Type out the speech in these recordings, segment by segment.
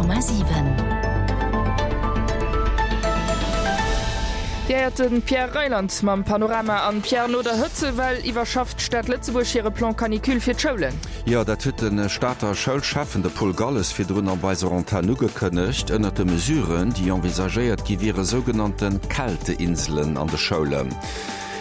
100,7. Dir héiert de Pierre Reyland mam Panorama. An Pierre, no der Hëtzewell iwwerschafft d'Stad Lëtzebuerg hire Plan Canicule fir d'Schoulen. Jo, dat huet de Stater Schoulschäffen, de Paul Galles, virdrun op eiser Antenn ugekënnegt. Ënnert de Mesuren, déi envisagéiert gi wiere sougenannte Kälteinselen an de Schoulen.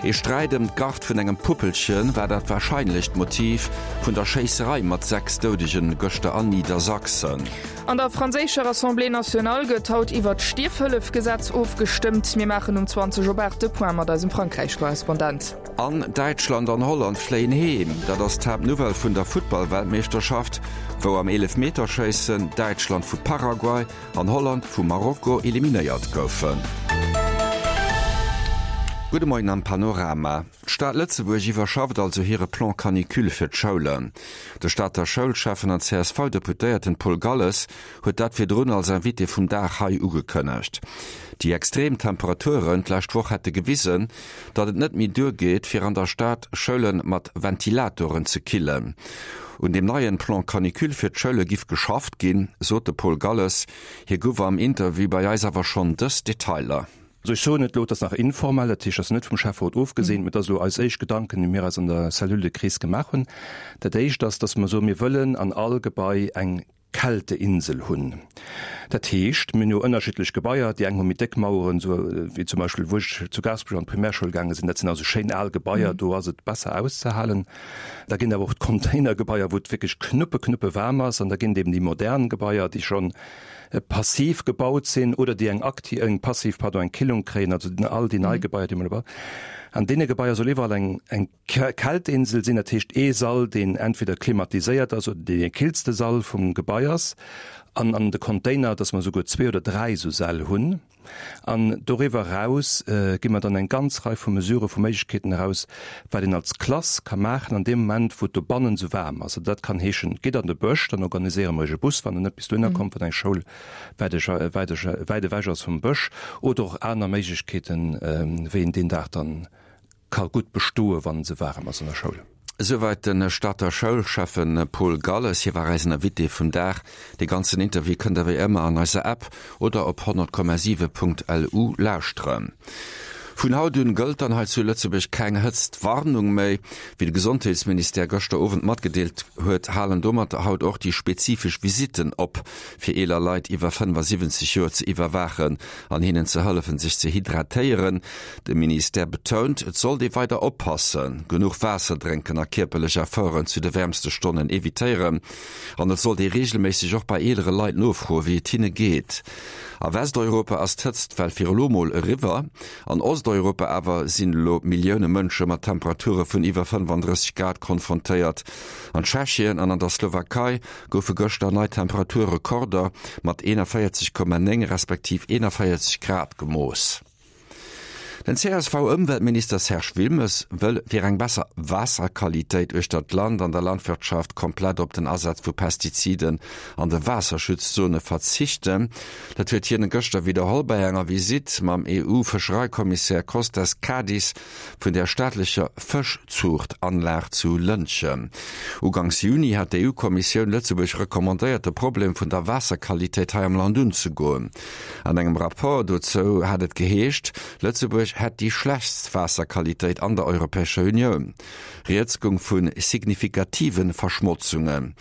Ee Sträit ëm d'Gard vun engem Puppelchen war dat warscheinlecht Motiv vun der Schéisserei mat 6 Doudegen gëschter an Niedersachsen. An der franséischer Assemblée nationale gëtt haut iwwert d'Stierfhëllefgesetz ofgestëmmt. Mir maachen um 20 op 8 de Point mat eisem Frankräich-Korrespondent. An Däitschland an Holland fléien heem, dat ass d'Haaptnouvelle vun der Futtball-Weltmeeschterschaft, wou am Eelefmeterschéissen Däitschland vu Paraguay an Holland vu Marokko eliminéiert goufen. Gudde Moien am Panorama. D'Stad Lëtzebuerg iwwerschafft also hire Plan Canicule fir d'Schoulen. De Stater Schoulschäffen an CSV-Deputéierten Paul Galles huet dat virdrun als Invité vum Dag hei ugekënnegt. Déi extrem Temperaturen d'lescht Woch hätte gewisen, datt et net méi duergeet, fir an der Stad Schoule mat Ventilatoren ze killen. Un deem neien Plan Canicule fir d'Schoule giff geschafft ginn, sot de Paul Galles. Hie gouf am Interview bei eis awer schonn dës Detailer. Also ech soen et elo, et ass nach informell, dat heescht, et ass net vum Schäfferot ofgeseent, mä et ass elo eis éischt Gedanken, déi mir eis an der Cellule de crise gemaach hunn. Dat Éischt ass, dass mer soen, mir wëllen an all Gebai eng Kälteinsel hunn. Dat heescht, mir hunn jo ënnerschiddlech Gebaier, déi eng hu méi déck Maueren, esou wéi zum Beispill wou ech zu Gaasperech an d'Primärschoul gaange sinn, dat sinn also schéin al Gebaier, do ass et besser auszehalen. Da ginn et awer och d'Containergebaier, wou et wierklech knuppe knuppe waarm ass an da ginn et eben déi modern Gebaier, déi scho passiv gebaut sinn oder déi eng akti-, eng passiv, pardon, eng Killung kréien, also all déi nei Gebaier, déi mer elo bauen. An deene Gebaier soll iwwerall eng, eng. Kältinsel sinn, dat heescht ee Sall, deen entweder klimatiséiert ass oder deen dee killste Sall vum Gebai ass, an an de Container, dass mer esouguer zwee oder dräi esou Säll hunn. An doriwwer eraus gi mer dann eng ganz Rei vu Mesurë, vu Méiglechkeeten eraus, wat een als Klass ka maachen an deem Moment, wou et dobannen esou waarm ass. Also dat kann heeschen, gitt an de Bësch, dann organiséiere mer iech e Bus, wann en net bis dohinner kommt, wann eng Schoul wäit wäit ewech ass vum Bësch, oder och aner Méiglechkeeten, wéi een deen Dag dann Ka gutt bestoe wann se waarem ass an der Schoul. Esouweit de Stater Schoulschäffen Paul Galles. Hie war eisen Invité vum Dag. De ganzen Interview kënnt der wéi ëmmer an eiser App oder op 100,7.lu lauschteren. Vun haut un gëllt dann hei zu Lëtzebuerg keng Hëtztwarnung méi. Wéi de Gesondheetsministère gëschter Owend matgedeelt huet, halen domat haut och déi spezifesch Visitten op, fir eeler Leit iwwer 75 Joer ze iwwerwaachen an hinnen ze hëllefen, sech ze hydratéieren. De Ministère betount, et sollt ee weider oppassen, genuch Waasser drénken a kierperlech Efforten zu de wäermste Stonnen evitéieren. An et sollt ee reegelméisseg och bei eelere Leit nofroen, wéi et hinne geet. A Westeuropa ass d'Hëtztwell fir elo mol eriwwer. An Osteuropa awer sinn elo Millioune Mënsche mat Temperature vun iwwer 35 Grad konfrontéiert. An Tschechien an an der Slowakei goufe gëschter nei Temperaturrekorder mat 41,9 respektiv 41 Grad gemooss. Den CSV-Ëmweltminister Serge Wilmes wëll fir eng besser Waasserqualitéit uechter d'Land an der Landwirtschaft komplett op den Asaz vu Pestiziden an de Waasserschutzzone verzichten. Dat huet hien gëschter widderholl bei enger Visitt mam EU-Fëschereikommissär Kostas Kadis vun der staatlecher Fëschzuuchtanlag zu Lëntgen. Uganks Juni hat d'EU-Kommissioun Lëtzebuerg recommandéiert, de Problem vun der Waasserqualitéit hei am Land unzegoen. An engem Rapport dozou hat et geheescht, Lëtzebuerg hätt déi schlechtst Waasserqualitéit an der Europäescher Unioun. Rieds goung vu signifikative Verschmotzungen.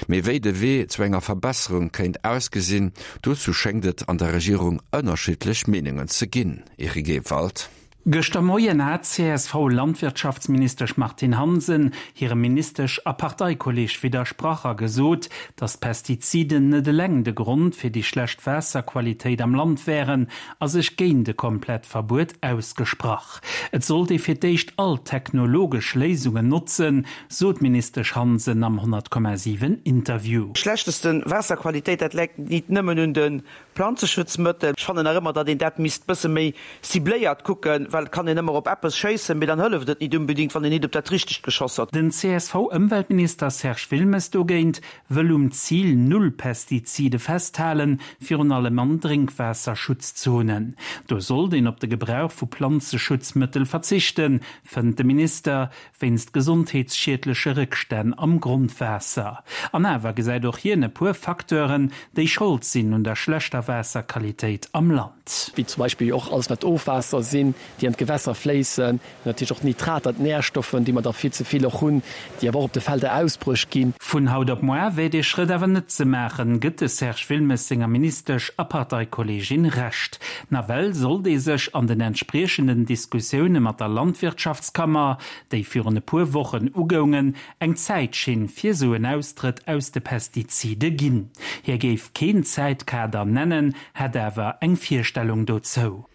Mee wéi de Wee zu enger Verbesserung kéint ausgesinn, dozou schéngt et an der Regierung ënnerschiddlech Meenungen ze ginn. Eric Ewald. Gëschter Moien hat d'CSV-Landwirtschaftsministesch Martine Hansen hirem Ministesch a Parteikolleeg widdersprach a gesot, datt d'Pestiziden net eleng de Grond fir déi schlecht Waasserqualitéit am Land wären a sech géint e komplett Verbuet ausgesprach. Et sollt ee fir d'éischt all technologesch Léisungen notzen, sot d'Ministesch Hansen am 100,7 Interview. Schlechteste Waasserqualitéit, dat läit nit nëmmen un de Planzeschutzmëttel. Ech fannen nach ëmmer, datt een dat misst bësse méi cibléiert kucken. well et kann een ëmmer op eppes schéissen, mee dann hëlleft et nit unbedingt, wann een nit op dat Richtegt geschoss huet. Den CSV-Ëmweltminister Serge Wilmes dogéint wëll um Zil Null Pestizide festhalen, virun allem an Drénkwaasserschutzzonen. Do sollt een op de Gebrauch vu Planzeschutzmëttel verzichten, fënnt de Minister, wéinst gesondheetsschiedleche Réckstänn am Grondwaasser. An awer gesäit och hien e puer Facteuren, déi Schold sinn un der schlechter Waasserqualitéit am Land. Wéi zum Beispill och alles wat Ofwaasser sinn, déi an d'Gewässer fléissen, natierlech och d'Nitrater, d'Närstoffen, déi mer der vill ze vill och hunn, déi awer och op de Felder ausbruecht ginn. Vun haut op moar wär dee Schrëtt awer net ze maachen, gëtt de Serge Wilmes senger Ministesch a Parteikolleegin Recht. Nawell sollt ee sech an den entspriechenden Diskussioune mat der Landwirtschaftskammer, déi virun e puer Wochen ugoungen, eng Zäitschinn fir sou en Austrëtt aus de Pestizide ginn. Hie géif keen Zäitkader nennen, hätt awer eng Virstellung dozou.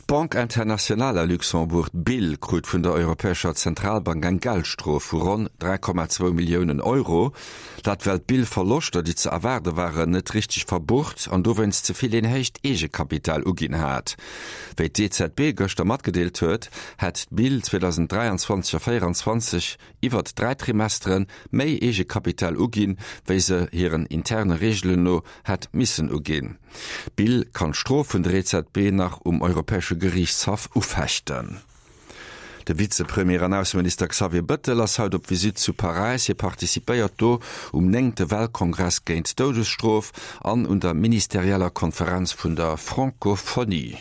D'Banque Internationale à Luxembourg, d'BIL, krut vun der Europäescher Zentralbank eng Geldstrof vu ronn 3,2 Milliounen Euro. Dat well d'BIL Verloschter, déi ze erwaarde waren, net richteg verbucht an dowéinst ze vill een héicht Eegekapital uginn hat. Wéi d'EZB gëschter matgedeelt huet, hätt d'BIL 2023 a 2024 iwwert 3 Trimesteren méi Eegekapital uginn, wéi se hiren interne Reegelen no hätt missen uginn. D'BIL kann d'Strof vun der EZB nach um Europäesche Geriichtshaff ufechten. De Vizepremier an Ausseminister Xavier Bëttel ass haut op Visitt zu Paräis. Hie participéiert do um néngte Weltkongress géint d'Doudesstrof an un der ministerieller Konferenz vun der Francophonie.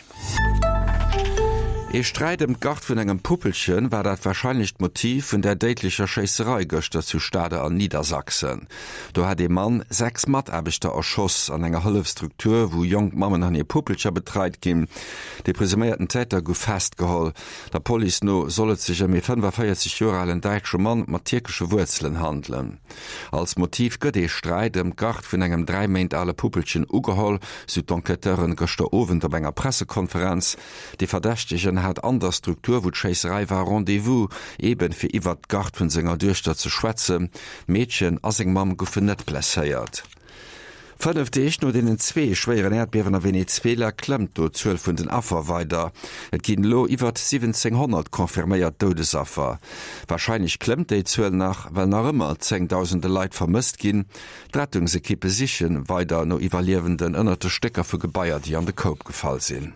Ee Sträit ëm d'Gard vun engem Puppelchen war dat warscheinlecht Motiv vun der déidlecher Schéisserei gëschter zu Stade an Niedersachsen. Do hat ee Mann 6 Mataarbechter erschoss an enger Hëllefsstruktur, wou jonk Mammen an hir Puppelcher betreit ginn. De presuméierten Täter gouf festgeholl. Der Police no soll et sech ëm ee 45 Joer alen däitsche Mann mat tierkesche Wuerzelen handelen. Als Motiv gëtt ee Sträit ëm d'Gard vun engem 3 Méint ale Puppelchen ugeholl, sou d'Enquêteuren gëschter Owend op enger Pressekonferenz. De Verdächtegen hat an der Struktur, wou d'Schéisserei war, Rendez-vous, eben fir iwwert d'Gard vun senger Duechter ze schwätzen. D'Meedchen a seng Mamm goufen net blesséiert. 5 Deeg no deenen zwee schwéieren Äerdbiewen a Venezuela klëmmt do d'Zuel vun den Affer weider. Et ginn elo iwwert 1.700 confirméiert Doudesaffer. Warscheinlech klëmmt déi Zuel nach, well nach ëmmer zéngdausende Leit vermësst ginn. D'Rettungsekippe siche weider no Iwwerliewenden ënnert de Stécker vu Gebaier, déi an de Koup gefall sinn.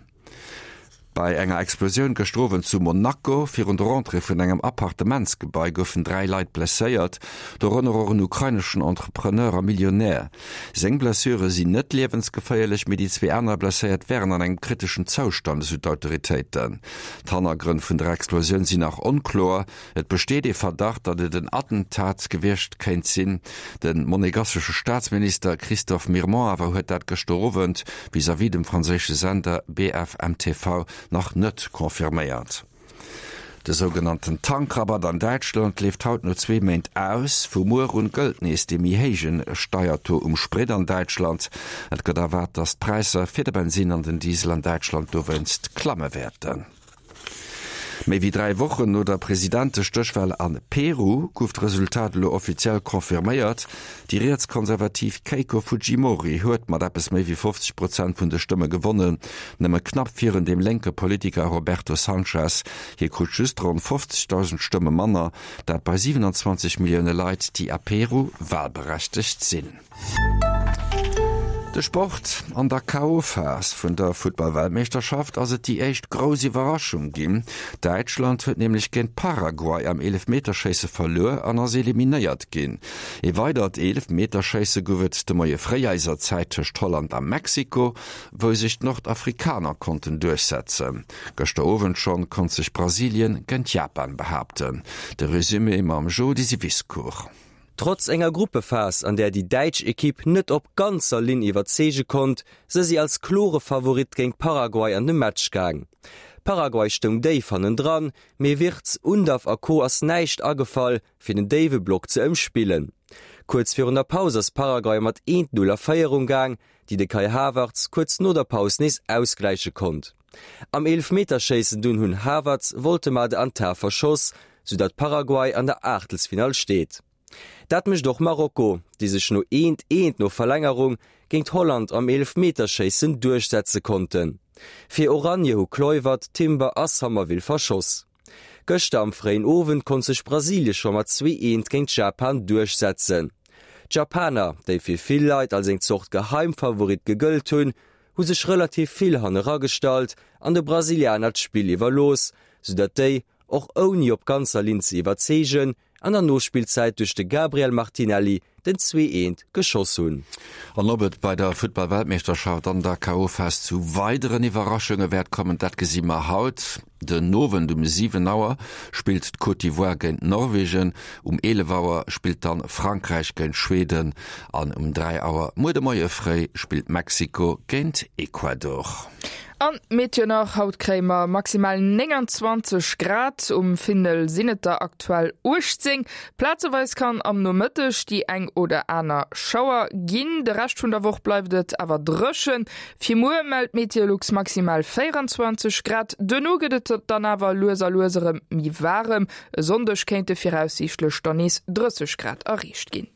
Bei enger Explosioun gëschter Owend zu Monaco virun der Entrée vun engem Appartementsgebai goufen 3 Leit blesséiert, dorënner och en ukraineschen Entrepreneur a Millionär. Seng Blessure sinn net liewensgeféierlech, mee déi zwee aner Blesséiert wären an engem kriteschen Zoustand, esou d'Autoritéiten. D'Hannergrënn vun der Explosioun sinn nach onkloer. Et besteet ee Verdacht, datt et en Attentat gewiescht kéint sinn. De monegassesche Staatsminister Christophe Mirmont awer huet dat gëschter Owend vis-à-vis dem franséische Sender BFMTV nach net confirméiert. De sougenannten Tankrabatt an Däitschland leeft haut no zwee Méint aus. Vu muer un gëllt nees dee méi héije Steiertaux um Sprit an Däitschland. Et gëtt erwaart, datt d'Präisser fir de Bensinn an den Diesel an Däitschland dowéinst klamme wäerten. Méi wéi 3 Wochen no der Presidentestéchwal a Peru gouf d'Resultat elo offiziell confirméiert. Déi rietskonservativ Keiko Fujimori huet mat eppes méi wéi 50 Prozent vun de Stëmme gewonnen, nëmme knapp virun dem lénke Politiker Roberto Sanchez. Hie krut just ronn 50.000 Stëmme manner, dat bei 27 Millioune Leit, déi a Peru walberechtegt sinn. De Sport, An der KO-Phas vun der Futtball-Weltmeeschterschaft ass et déi éischt grouss Iwwerraschung ginn. Däitschland huet nämlech géint Paraguay am Eelefmeterschéisse verluer an ass eliminéiert ginn. Ee weidert Eelefmeterschéisse gouf et de Moie fréi eiser Zäit tëscht Holland a Mexiko, wou sech d'Nordafrikaner konnten duerchsetzen. Gëschter Owend schonn konnt sech Brasilien géint Japan behaapten. De Resumé mam Jo Disiviscour. Trotz enger Gruppephas, an där déi däitsch Ekipp net op ganzer Linn iwwerzeege konnt, se si als klore Favorit géint Paraguay an de Match gaang. Paraguay stoung déif hannendran, mee Wirtz, Undav a Co ass näischt agefall, fir den déiwe Block ze ëmspillen. Kuerz virun der Paus ass Paraguay mat 1, 0 a Féierung gaang, déi de Kai Havertz kuerz no der Paus nees ausgläiche konnt. Am Eelefmeterschéissen dunn hunn Havertz, Woltemade an Tah verschoss, soudatt Paraguay an der Aachtelsfinall steet. Dat mécht och Marokko, déi sech no eent eent no Verlängerung géint Holland am Eelefmeterschéissen duerchsetze konnten. Fir Oranje hu Kluivert, Timber a Summerville verschoss. Gëschter am fréien Owend konnt sech Brasilie scho mat 2, 1 géint Japan duerchsetzen. D'Japaner, déi fir vill Leit als eng Zort Geheimfavorit gegëllt hunn, hu sech relativ vill hanne ragestallt an de Brasilianer d'Spill iwwerlooss, soudatt déi, och ouni op ganzer Linn ze iwwerzeegen, an der Nospillzäit duerch de Gabriel Martinelli den 2, 1 geschoss hunn. An ob et bei der Futtball-Weltmeeschterschaft an der KO-Phas zu weideren Iwwerraschunge wäert kommen, dat gesi mer haut. Den Owend um 7 Auer spillt d'Côte d'Ivoire géint Norwegen, um 11 Auer spillt dann Frankräich géint Schweden an um 3 Auer muer de Moie fréi spillt Mexiko géint Ecuador. An d'Meteo nach, Haut kréie mer maximal 29 Grad, um Findel sinn et der aktuell 18. Plazeweis kann am Nomëtteg déi eng oder aner Schauer ginn, de Rescht vun der Woch bleift et awer dréchen. Fir muer mellt Meteolux maximal 24 Grad, duerno gëtt et dann awer lues a lues erëm méi waarem. E Sonndeg kéinte viraussiichtlech dann nees 30 Grad erreecht ginn.